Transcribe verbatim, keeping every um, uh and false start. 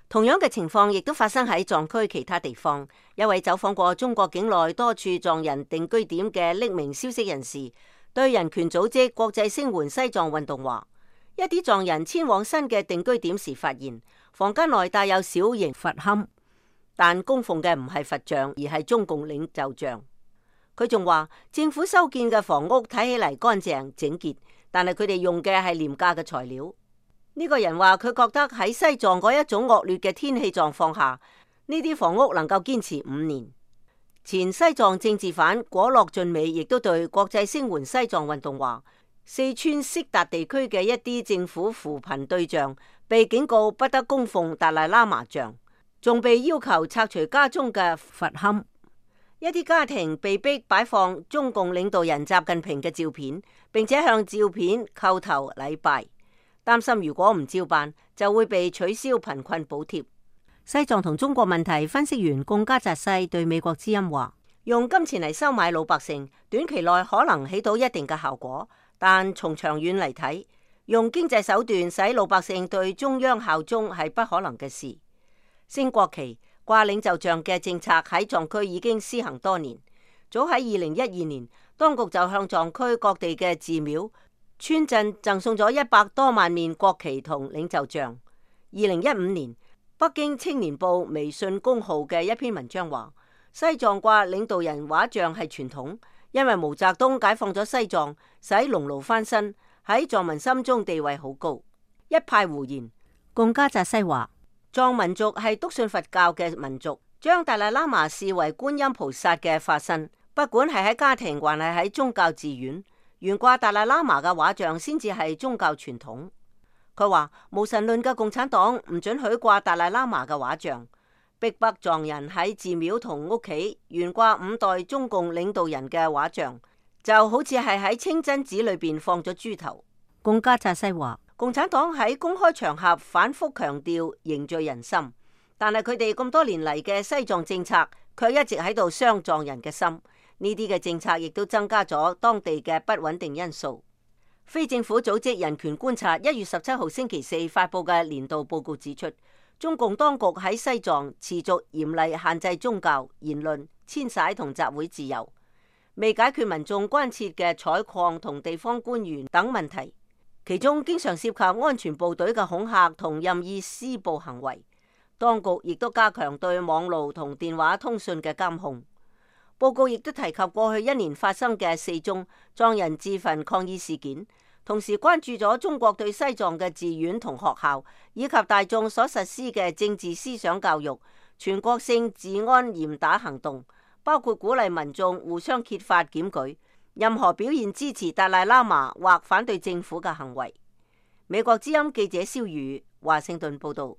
同樣嘅情況亦都發生喺藏區其他地方。一位走訪過中國境內多處藏人定居點嘅匿名消息人士，對人權組織國際聲援西藏運動話，一啲藏人遷往新嘅定居點時，發現房間內帶有小型佛龕，但供奉嘅唔係佛像，而係中共領袖像。佢仲話，政府修建嘅房屋睇起嚟乾淨整潔，但係佢哋用嘅係廉價嘅材料。呢個人話，佢覺得喺西藏嗰一種惡劣嘅天氣狀況下，呢啲房屋能夠堅持五年。前西藏政治犯果洛俊美亦都對國際聲援西藏運動話，四川色達地區嘅一啲政府扶貧對象被警告不得供奉達賴喇嘛像，仲被要求拆除家中嘅佛龕。一啲家庭被逼擺放中共領導人習近平嘅照片，並且向照片叩頭禮拜，擔心如果唔照辦就會被取消貧困補貼。西藏同中國問題分析員貢加扎西對美國之音話，用金錢嚟收買老百姓，短期內可能起到一定嘅效果，但從長遠嚟睇，用經濟手段使老百姓對中央效忠係不可能嘅事。升國旗掛領袖像嘅政策喺藏區已經施行多年，早喺二零一二年，當局就向藏區各地嘅寺廟、村鎮贈送咗一百多萬面國旗同領袖像。二零一五年，北京青年報微信公號嘅一篇文章話，西藏掛領導人畫像係傳統，因為毛澤東解放咗西藏，使農奴翻身，喺藏民心中地位好高。一派胡言。貢加扎西話，藏民族係篤信佛教嘅民族，將達賴喇嘛視為觀音菩薩嘅化身，不管係喺家庭還係喺宗教寺院，懸掛達賴喇嘛嘅畫像先至係宗教傳統。佢話無神論嘅共產黨唔准許掛達賴喇嘛嘅畫像，逼迫藏人喺寺廟同屋企懸掛五代中共領導人嘅畫像，就好似係喺清真寺裏邊放咗豬頭。貢加扎西話，共產黨喺公開場合反覆強調凝聚人心，但係佢哋咁多年嚟嘅西藏政策卻一直喺度傷藏人嘅心。呢啲嘅政策亦都增加咗當地嘅不穩定因素。非政府組織人權觀察一月十七號星期四發佈嘅年度報告指出，中共當局喺西藏持續嚴厲限制宗教、言論、遷徙同集會自由，未解決民眾關切嘅採礦同地方官員等問題，其中經常涉及安全部隊嘅恐嚇同任意施暴行為。當局亦都加強對網路同電話通訊嘅監控。報告亦都提及過去一年發生嘅四宗藏人自焚抗議事件，同時關注咗中國對西藏嘅寺院同學校以及大眾所實施嘅政治思想教育、全國性治安嚴打行動，包括鼓勵民眾互相揭發檢舉任何表現支持達賴喇嘛或反對政府嘅行為。美國之音記者蕭宇華盛頓報道。